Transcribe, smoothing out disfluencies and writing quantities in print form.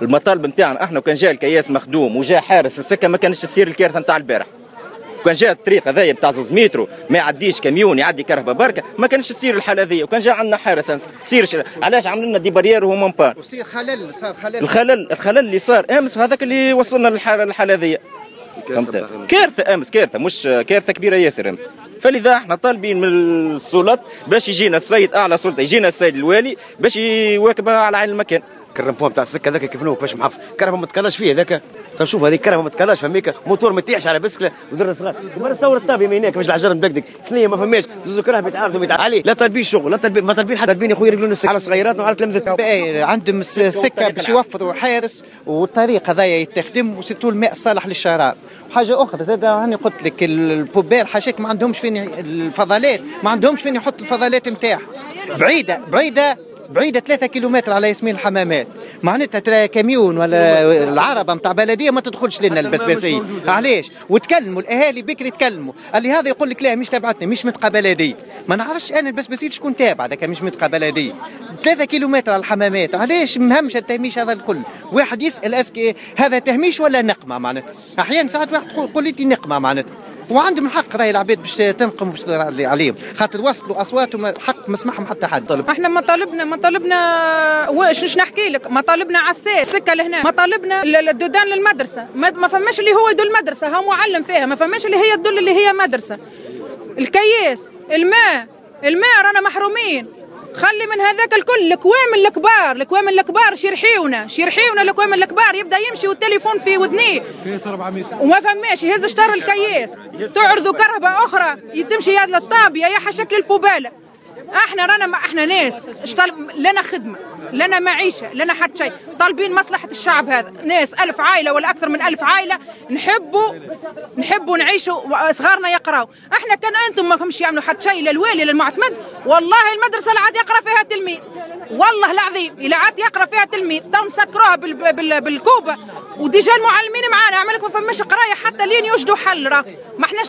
المطالب نتاعنا احنا وكان جاء الكياس مخدوم وجاء حارس السكة ما كانش تصير الكارثة نتاع البارح. كان جاء الطريق هذايا نتاع 2 مترو ما يعديش كاميون، يعدي كرهبه بركه، ما كانش تصير الحالة هذيا. وكان جاء عندنا حارس تصير. علاش عملوا لنا des barrières وهما en panne؟ وصير خلل، صار خلل. الخلل اللي صار امس هذاك اللي وصلنا للحالة هذيا، فهمت؟ كارثة امس، كارثه، مش كارثه، كبيرة ياسر امس. فلذا احنا طالبين من السلطات باش يجينا السيد اعلى سلطه، يجينا السيد الوالي باش يواكبها على عين المكان. ال rond-point تاع السكة هذاك كيف كيفاش محف، كرهبه ما تكلاش فيه هذاك. طيب شوف هذيك كرهبه ما تكلاش، فميك موتور ما يطيحش على بسكله وزر صغار. ومرة صور الطابيه من هناك كيفاش الحجر مدقدق، ثنيه ما فماش، زوز كراهب يتعارضوا عليه. لا طالبين شغل، لا طالبين، ما طالبين حتى، طالبين يا خويا يرجلون السكة على صغيراتنا وعلى تلامذتنا. عندهم السكة باش يوفروا حارس والطريق هذايا يتخدم و surtout الماء الصالح للشراب. حاجة اخرى زاد هاني قلت لك ال poubelles حاشاك ما عندهمش فين، الفضلات ما عندهمش فين يحط الفضلات نتاعهم، بعيدة بعيدة بعيدة 3 كيلومتر على ياسمين الحمامات. معناتها كاميون ولا العربة نتاع بلدية ما تدخلش لنا البسباسية. علاش؟ وتكلموا الأهالي بكري، تكلموا، اللي هذا يقول لك لا مش تبعتني، مش منطقة بلدية. ما نعرفش أنا البسباسية شكون تابع ذاك، مش منطقة بلدية، 3 كيلومتر على الحمامات. علاش مهمش التهميش هذا الكل؟ واحد يسأل est-ce que هذا تهميش ولا نقمة؟ معناتها أحيانا ساعات واحد يقول لي نقمة معناتها، وعندهم الحق راهي العباد باش تنقم باش عليهم، خاطر وصلوا اصواتهم حق ما سمعهم حتى حد. احنا مطالبنا واش نحكي لك، مطالبنا عساس سكة لهنا، مطالبنا ال dos d'âne للمدرسه، ما فماش اللي هو يدل المدرسه، ها معلم فيها، ما فماش اللي هي تدل اللي هي مدرسه. الكياس، الماء، الماء رانا محرومين. خلي من هذاك الكل، الكوامل الكبار، الكوامل الكبار شيرحيونا شيرحيونا الكوامل الكبار يبدا يمشي والتليفون في وذنيه وما فماش، يهز شطر الكياس، تعرضوا كرهبه اخرى تمشي يا للطابيه يا حشك لل poubelle. احنا رانا ما احنا ناس لنا خدمه، لنا معيشه، لنا حتى شيء، طالبين مصلحة الشعب هذا. ناس 1000 عائلة ولا اكثر من 1000 عائله، نحبوا نعيشوا، صغارنا يقراوا. احنا كان انتم ما فهمش يعملوا حتى شيء للوالي للمعتمد، والله المدرسة لا عاد يقرا فيها تلميذ، والله العظيم الى عاد يقرا فيها تلميذ تو نسكروها بالكوبه. و déjà المعلمين معانا، عملك ما فماش قرايه حتى لين يوجدوا حل، راه ما احناش.